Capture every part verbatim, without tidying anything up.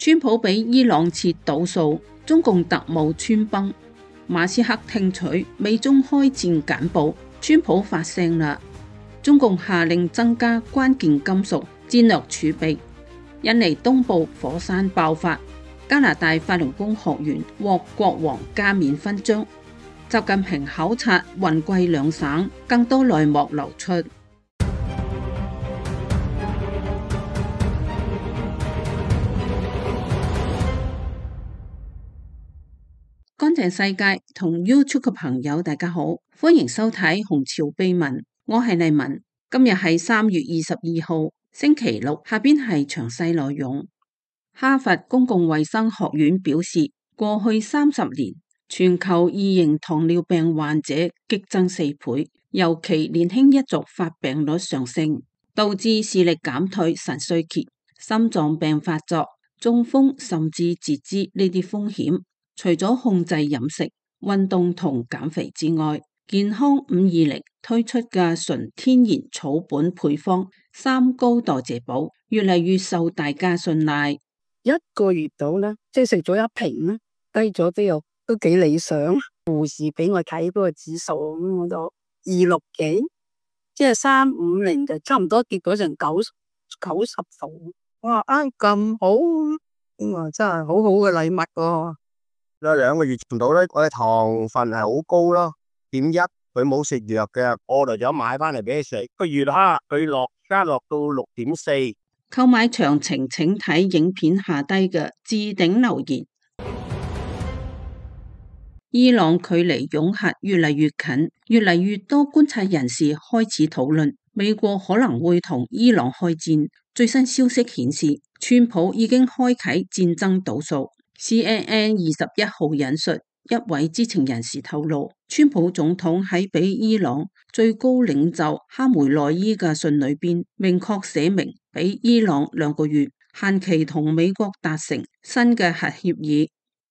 川普俾伊朗設賭數，中共特務穿崩，馬斯克聽取美中開戰簡報，川普發聲啦。中共下令增加關鍵金屬戰略儲備。印尼東部火山爆發，加拿大法輪功學員獲國王加冕勳章。習近平考察雲貴兩省，更多內幕流出。乾淨世界同 YouTube 嘅朋友大家好，歡迎收睇紅潮秘聞，我係麗文。今日係三月二十二號星期六，下邊係詳細內容。哈佛公共衛生學院表示，過去三十年全球二型糖尿病患者激增四倍，尤其年輕一族發病率上升，導致視力減退、腎衰竭、心臟病發作、中風甚至截肢呢啲風險。除咗控制飲食、運動同減肥之外，健康五二零推出嘅純天然草本配方三高代謝寶越嚟越受大家信賴。一個月到啦，即係食咗一瓶啦，低咗都有都幾理想。護士俾我睇嗰個指數，咁我就二六幾，即係三五零就差唔多跌咗成九九十度。哇，啱咁好，咁啊真係好好嘅禮物喎。有兩個月唔到咧，我嘅糖分係好高咯，點一佢冇食藥嘅，我嚟咗買翻嚟俾佢食。個月哈佢落加落到六點四。購買詳情請睇影片下低嘅置頂留言。伊朗距離擁核越嚟越近，越嚟越多觀察人士開始討論美國可能會同伊朗開戰。最新消息顯示，川普已經開啟戰爭賭數。C N N 二十一號引述一位知情人士透露，川普總統喺俾伊朗最高領袖哈梅內伊嘅信裏邊，明確寫明俾伊朗兩個月限期同美國達成新嘅核協議。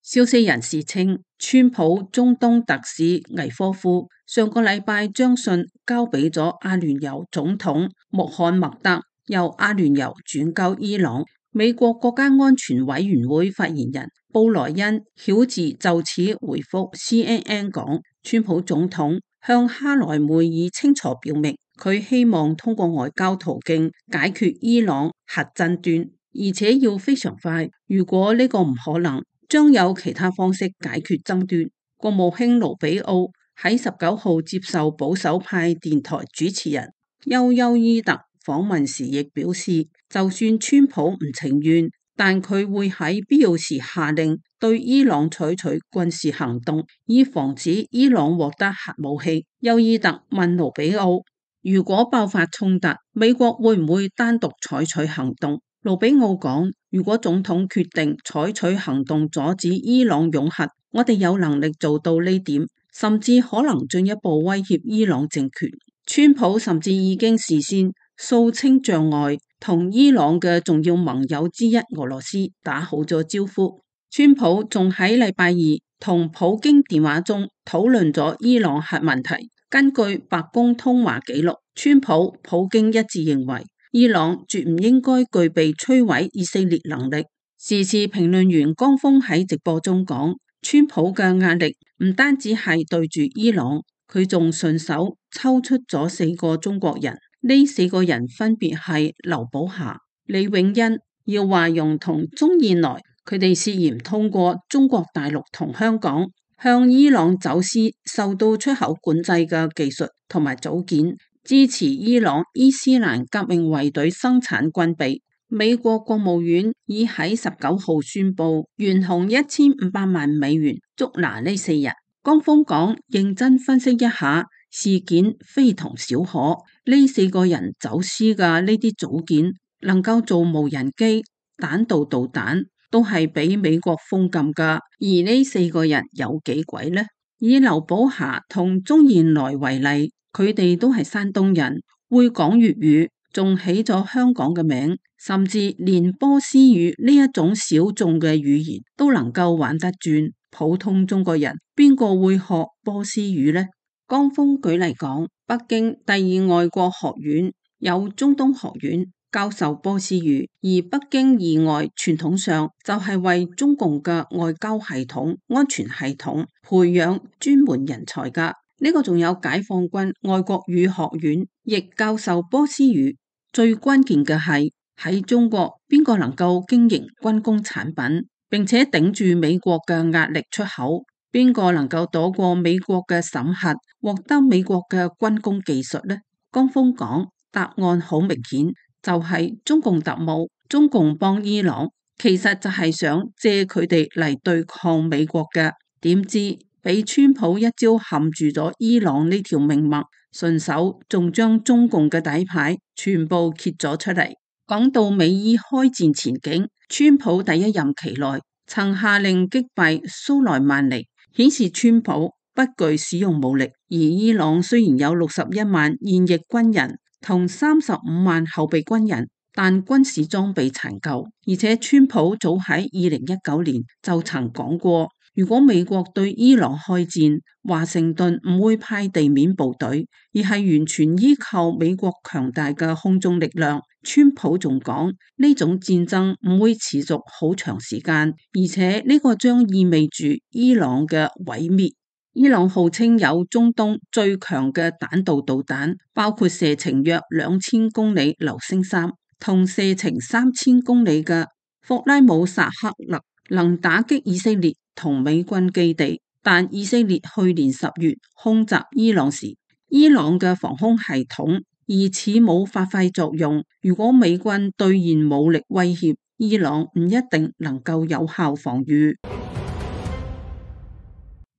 消息人士稱，川普中東特使魏科夫上個禮拜將信交俾咗阿聯酋總統穆罕默德，由阿聯酋轉交伊朗。美國國家安全委員會發言人布萊恩曉治就此回覆 C N N 講，川普總統向哈萊梅爾清楚表明，佢希望通過外交途徑解決伊朗核爭端，而且要非常快。如果呢個唔可能，將有其他方式解決爭端。國務卿盧比奧喺十九號接受保守派電台主持人邱邱伊特訪問時亦表示，就算川普唔情願，但佢會喺必要時下令對伊朗採取軍事行動，以防止伊朗獲得核武器。邱伊特問盧比奧，如果爆發衝突，美國會唔會單獨採取行動？盧比奧講，如果總統決定採取行動阻止伊朗擁核，我哋有能力做到呢點，甚至可能進一步威脅伊朗政權。川普甚至已經事先掃清障礙，同伊朗嘅重要盟友之一俄羅斯打好咗招呼。川普仲喺禮拜二同普京電話中討論咗伊朗核問題。根據白宮通話記錄，川普、普京一致認為伊朗絕唔應該具備摧毀以色列能力。時事評論員江峰喺直播中講，川普嘅壓力唔單止係對住伊朗，佢仲順手抽出咗四個中國人。呢四個人分別係劉寶霞、李永恩、姚華容同鍾燕來，佢哋涉嫌通過中國大陸同香港向伊朗走私受到出口管制嘅技術同埋組件，支持伊朗伊斯蘭革命衛隊生產軍備。美國國務院已喺十九號宣布懸紅一千五百萬美元捉拿呢四人。江峰講，認真分析一下事件非同小可，呢四個人走私嘅呢啲組件能夠做無人機、彈道導彈，都係俾美國封禁噶。而呢四個人有幾鬼呢？以劉寶霞同鍾燕來為例，佢哋都係山東人，會講粵語，仲起咗香港嘅名，甚至連波斯語呢一種小眾嘅語言都能夠玩得轉。普通中國人邊個會學波斯語呢？江峰舉例講，北京第二外國學院有中東學院，教授波斯語，而北京以外傳統上就係為中共嘅外交系統、安全系統培養專門人才㗎。呢個仲有解放軍外國語學院亦教授波斯語。最關鍵嘅係喺中國邊個能夠經營軍工產品，並且頂住美國嘅壓力出口，邊個能夠躲過美國嘅審核，獲得美國嘅軍工技術呢？江峰講，答案好明顯，就係中共特務。中共幫伊朗，其實就係想借佢哋嚟對抗美國嘅，點知俾川普一招冚住咗伊朗呢條命脈，順手仲將中共嘅底牌全部揭咗出嚟。講到美伊開戰前景，川普第一任期內曾下令擊敗蘇萊曼尼，顯示川普不懼使用武力。而伊朗雖然有六十一萬現役軍人同三十五萬後備軍人，但軍事裝備殘舊，而且川普早喺二零一九年就曾講過，如果美國對伊朗開戰，華盛頓唔會派地面部隊，而係完全依靠美國強大嘅空中力量。川普仲講，呢種戰爭唔會持續好長時間，而且呢個將意味住伊朗嘅毀滅。伊朗號稱有中東最強嘅彈道導彈，包括射程約兩千公里流星三同射程三千公里嘅霍拉姆薩克勒，能打擊以色列同美軍基地。但以色列去年十月空襲伊朗時，伊朗嘅防空系統疑似冇發揮作用。如果美軍兌現武力威脅，伊朗唔一定能夠有效防禦。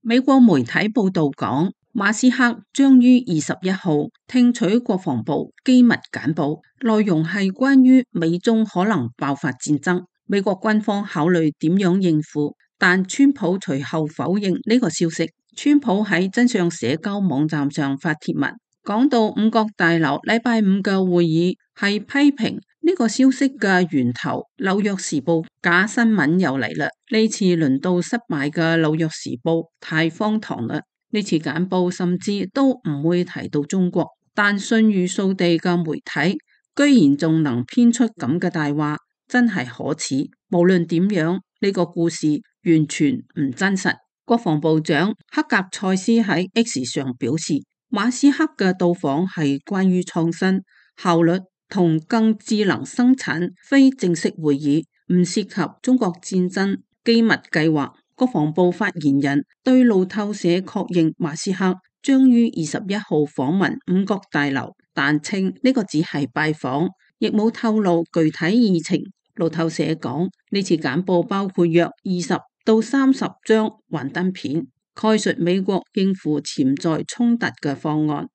美國媒體報道講，馬斯克將於二十一號聽取國防部機密簡報，內容係關於美中可能爆發戰爭，美國軍方考慮點樣應付。但川普隨後否認呢個消息。川普喺真相社交網站上發帖文，講到五角大樓禮拜五嘅會議係批評呢個消息嘅源頭。紐約時報假新聞又嚟啦，呢次輪到失敗嘅紐約時報太荒唐啦。呢次簡報甚至都唔會提到中國，但信譽掃地嘅媒體居然仲能編出咁嘅大話，真係可恥。無論點樣，呢個故事完全唔真實。國防部長克格塞斯喺 X 上表示，馬斯克嘅到訪係關於創新、效率同更智能生產非正式會議，唔涉及中國戰爭機密計劃。國防部發言人對路透社確認馬斯克將於二十一號訪問五角大樓，但稱呢個只係拜訪，亦冇透露具體議程。路透社講，呢次簡報包括約二十到三十張幻燈片，概述美國應付潛在衝突嘅方案。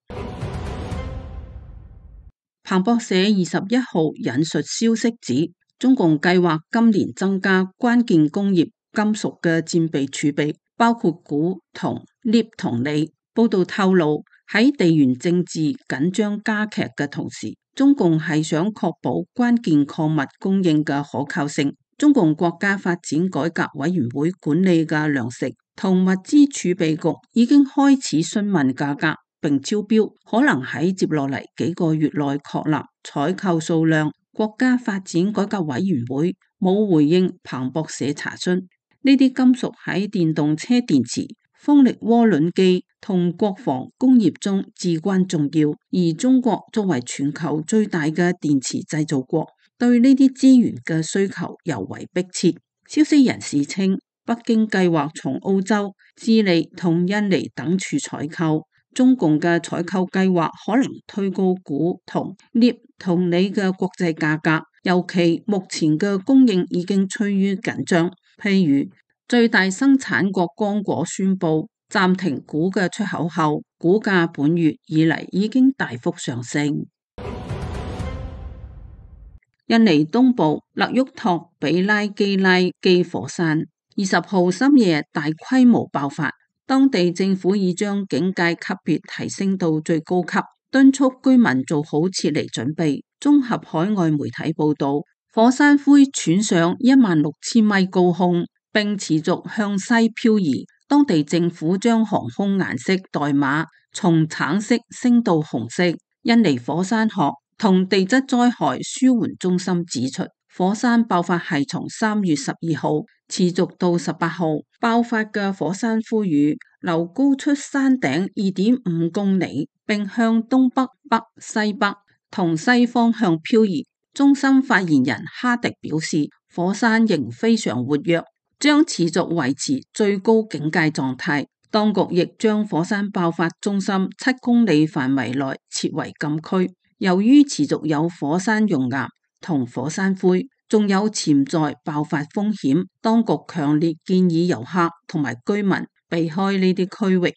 彭博社二十一號引述消息指，中共計劃今年增加關鍵工業金屬嘅戰備儲備，包括鈷、銅、鎳同鋰。報道透露，喺地緣政治緊張加劇嘅同時，中共係想確保關鍵礦物供應嘅可靠性。中共國家發展改革委員會管理嘅糧食同物資儲備局已經開始詢問價格並招標，可能喺接落嚟幾個月內確立採購數量。國家發展改革委員會冇回應彭博社查詢。呢啲金屬喺電動車電池、風力渦輪機同國防工業中至關重要，而中國作為全球最大嘅電池製造國，對呢啲資源嘅需求尤為迫切。消息人士稱，北京計劃從澳洲、智利同印尼等處採購。中共嘅採購計劃可能推高鈷、銅、鎳同鋰嘅國際價格，尤其目前嘅供應已經趨於緊張。譬如最大生產國剛果宣布暫停鈷嘅出口後，鈷價本月以嚟已經大幅上升。印尼東部勒沃托比拉基拉基火山二十號深夜大規模爆發，當地政府已將警戒級別提升到最高級，敦促居民做好撤離準備。綜合海外媒體報道，火山灰竄上一萬六千米高空，並持續向西漂移。當地政府將航空顏色代碼從橙色升到紅色。印尼火山學同地質災害舒緩中心指出，火山爆發係從三月十二號持續到十八號，爆發嘅火山灰雨流高出山頂二點五公里，並向東北、北、西北同西方向漂移。中心發言人哈迪表示，火山仍非常活躍，將持續維持最高警戒狀態。當局亦將火山爆發中心七公里範圍內設為禁區。由於持續有火山熔岩同火山灰，仲有潛在爆發風險，當局強烈建議遊客同埋居民避開呢啲區域。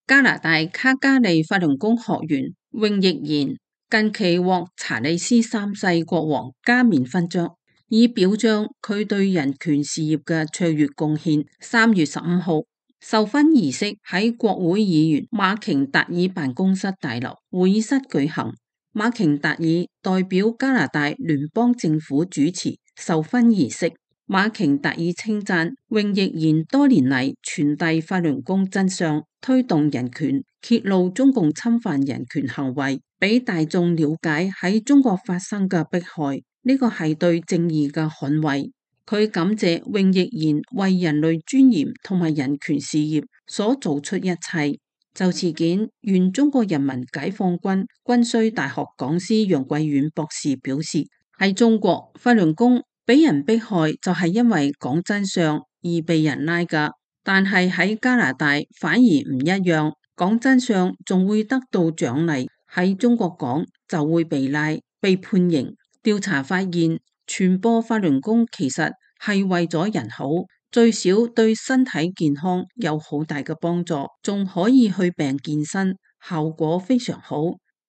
加拿大卡加利法輪功學員泳逸賢近期獲查理斯三世國王加冕勳章，以表彰佢對人權事業嘅卓越貢獻。三月十五號，授勳儀式喺國會議員馬瓊達爾辦公室大樓會議室舉行。馬瓊達爾代表加拿大聯邦政府主持授勳儀式。馬瓊達爾稱讚泳逸賢多年嚟傳遞法輪功真相，推動人權，揭露中共侵犯人權行為，俾大眾了解喺中國發生嘅迫害，呢個係對正義嘅捍衛。佢感謝泳逸賢為人類尊嚴同埋人權事業所做出一切。就事件，原中國人民解放軍軍需大學講師楊貴遠博士表示，喺中國法輪功俾人迫害就係因為講真相而被人拉噶，但係喺加拿大反而唔一樣，講真相仲會得到獎勵，喺中國講就會被拉、被判刑。調查發現，傳播法輪功其實係為咗人好，最少對身體健康有好大嘅幫助，仲可以去病健身，效果非常好，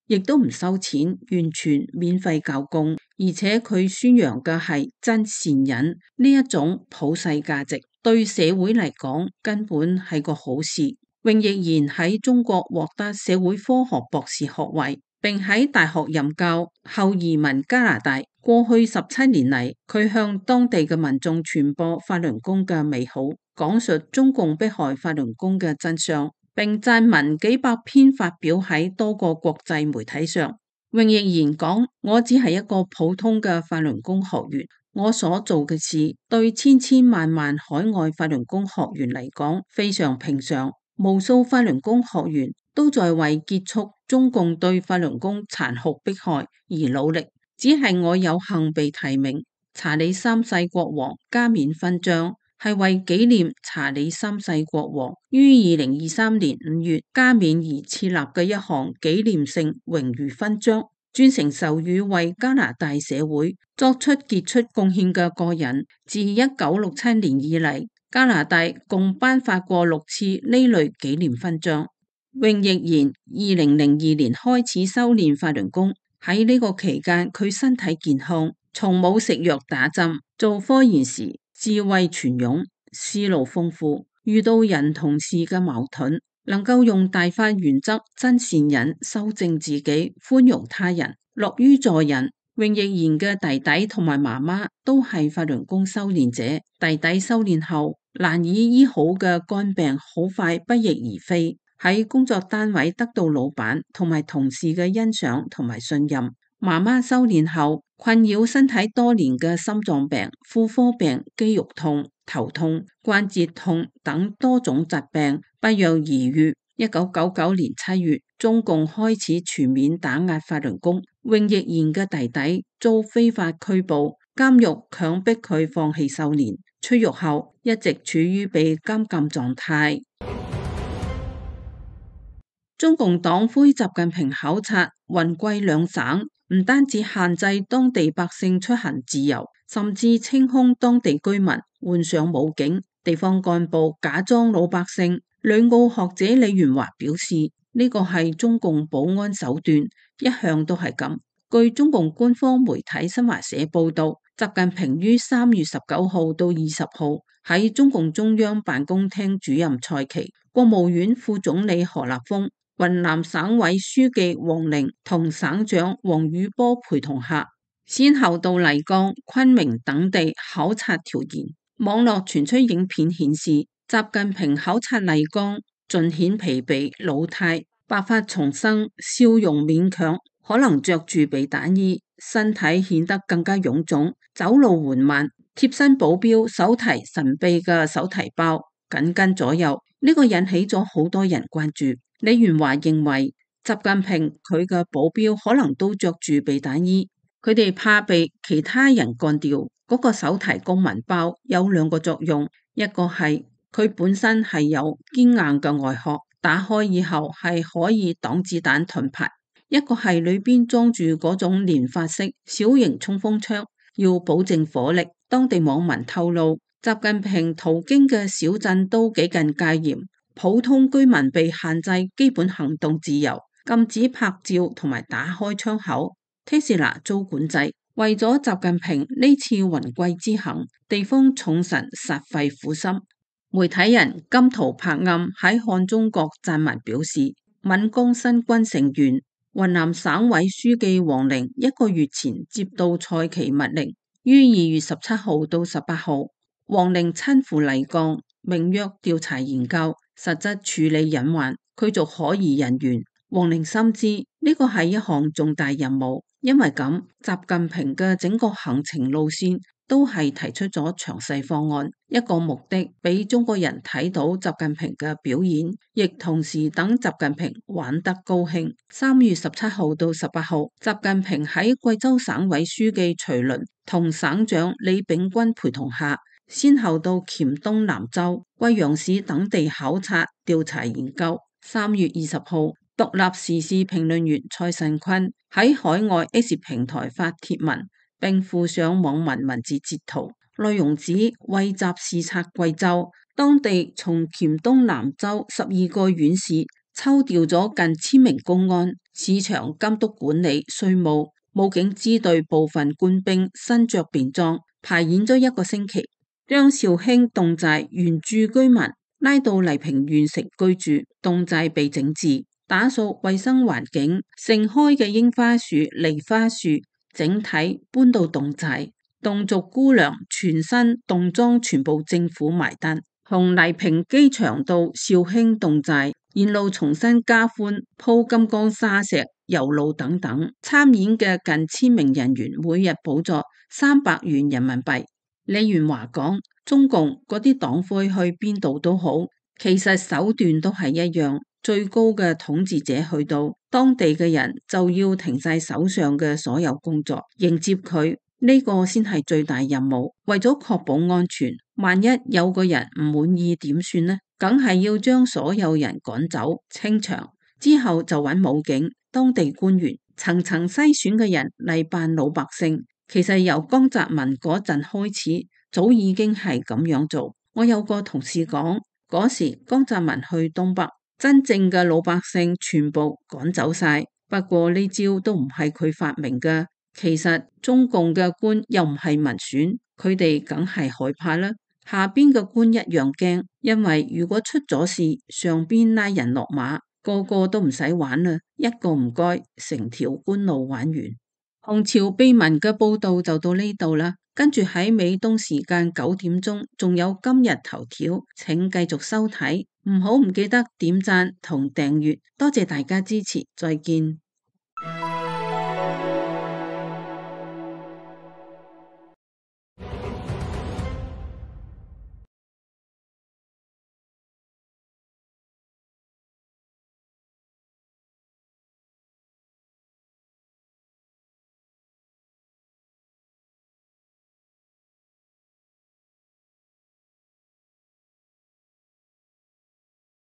亦都唔收錢，完全免費教功，而且佢宣揚嘅係真善忍呢一種普世價值，對社會嚟講根本係個好事。泳逸賢喺中國獲得社會科學博士學位，並喺大學任教，後移民加拿大。過去十七年嚟，佢向當地嘅民眾傳播法輪功嘅美好，講述中共迫害法輪功嘅真相，並撰文幾百篇發表喺多個國際媒體上。泳逸賢講：我只係一個普通嘅法輪功學員，我所做嘅事對千千萬萬海外法輪功學員嚟講非常平常。無數法輪功學員都在為結束中共對法輪功殘酷迫害而努力。只係我有幸被提名查理三世國王加冕勳章，係為紀念查理三世國王於二零二三年五月加冕而設立嘅一項紀念性榮譽勳章，專程授予為加拿大社會作出傑出貢獻嘅個人。自一九六七年以嚟，加拿大共頒發過六次呢類紀念勳章。泳逸賢二零零二年開始修煉法輪功。喺呢個期間，佢身體健康，從冇食藥打針。做科研時，智慧泉湧，思路豐富。遇到人同事嘅矛盾，能夠用大法原則真善忍修正自己，寬容他人，樂於助人。泳逸賢嘅弟弟同埋媽媽都係法輪功修煉者。弟弟修煉後難以醫好嘅肝病，好快不翼而飛。喺工作單位得到老闆同埋同事嘅欣賞同埋信任。媽媽修煉後，困擾身體多年嘅心臟病、婦科病、肌肉痛、頭痛、關節痛等多種疾病不藥而癒。一九九九年七月，中共開始全面打壓法輪功。泳逸賢嘅弟弟遭非法拘捕，監獄強迫佢放棄修煉。出獄後一直處於被監禁狀態。中共黨魁習近平考察雲貴兩省，唔單止限制當地百姓出行自由，甚至清空當地居民，換上武警。地方幹部假裝老百姓。旅澳學者李元華表示，呢個係中共保安手段，一向都係咁。據中共官方媒體新華社報道，習近平於三月十九號到二十號喺中共中央辦公廳主任蔡奇、國務院副總理何立峰、雲南省委書記王寧同省長王宇波陪同下，先後到麗江、昆明等地考察調研。網絡傳出影片顯示，習近平考察麗江盡顯疲憊老態，白髮重生，笑容勉強，可能着住避彈衣，身體顯得更加臃腫，走路緩慢。貼身保鏢手提神秘嘅手提包，緊跟左右，呢、這個引起咗好多人關注。李元華認為習近平佢嘅保鏢可能都着住避彈衣，佢哋怕被其他人幹掉。嗰、那個手提公文包有兩個作用，一個係佢本身係有堅硬嘅外殼，打開以後係可以擋子彈盾牌；一個係裏邊裝住嗰種連發式小型衝鋒槍，要保證火力。當地網民透露，習近平途經嘅小鎮都幾近戒嚴，普通居民被限制基本行動自由，禁止拍照同埋打開窗口。Tesla 遭管制。為咗習近平呢次雲貴之行，地方重臣煞費苦心。媒體人金圖柏暗喺看中國撰文表示，岷江新軍成員雲南省委書記王寧一個月前接到蔡奇密令，於二月十七號到十八號，王寧親赴麗江，名曰調查研究，實質處理隱患、驅逐可疑人員。王寧深知呢個係一項重大任務，因為咁，習近平嘅整個行程路線都係提出咗詳細方案，一個目的俾中國人睇到習近平嘅表演，亦同時等習近平玩得高興。三月十七號到十八號，習近平喺貴州省委書記徐麟同省長李炳軍陪同下，先後到黔東南州、貴陽市等地考察調查研究。三月二十號，獨立時事評論員蔡慎坤喺海外 X 平台發帖文，並附上網民文字截圖，內容指為習視察貴州，當地從黔東南州十二個縣市抽調咗近千名公安、市場監督管理、稅務、武警支隊部分官兵，身着便裝，排演咗一個星期，將紹興侗寨原住居民拉到黎平縣城居住，侗寨被整治，打掃衛生環境，盛開嘅櫻花樹、梨花樹整體搬到侗寨，侗族姑娘全身侗裝，全部政府埋單。從黎平機場到紹興侗寨，沿路重新加寬鋪金剛砂石、油路等等。參演嘅近千名人員每日補助三百元人民幣。李元華講，中共嗰啲黨魁去邊度都好，其實手段都係一樣。最高嘅統治者去到當地嘅人就要停晒手上嘅所有工作，迎接佢，呢個先係最大任務。為咗確保安全，萬一有個人唔滿意點算呢？梗係要將所有人趕走清場，之後就揾武警、當地官員層層篩選嘅人嚟扮老百姓。其實由江澤民嗰陣開始，早已經係咁樣做。我有個同事講，嗰時江澤民去東北，真正嘅老百姓全部趕走晒。不過呢招都唔係佢發明嘅，其實中共嘅官又唔係民選，佢哋梗係害怕啦。下邊嘅官一樣驚，因為如果出咗事，上邊拉人落馬，個個都唔使玩啦，一個唔該，成條官路玩完。紅潮秘聞嘅報道就到呢度啦，跟住喺美東時間九點鐘，仲有今日頭條，請繼續收睇，唔好唔記得點讚同訂閱，多謝大家支持，再見。